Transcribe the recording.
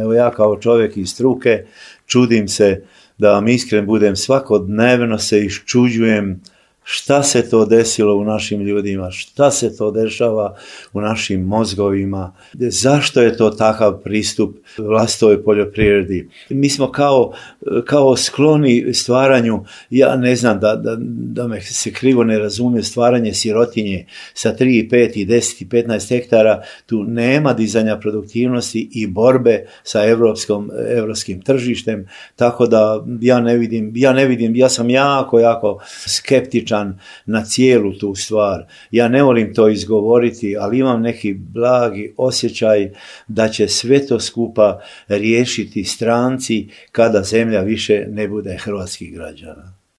Evo ja kao čovjek iz struke čudim se, da vam iskren budem, svakodnevno se iščuđujem šta se to desilo u našim ljudima, šta se to dešava u našim mozgovima, zašto je to takav pristup vlastitoj poljoprivredi. Mi smo kao skloni stvaranju, ja ne znam da me se krivo ne razumije, stvaranje sirotinje sa 3, 5, 10 i 15 hektara, tu nema dizanja produktivnosti i borbe sa evropskim tržištem, tako da ja sam jako skeptičan na cijelu tu stvar. Ja ne volim to izgovoriti, ali imam neki blagi osjećaj da će sve to skupa riješiti stranci kada zemlja više ne bude hrvatskih građana.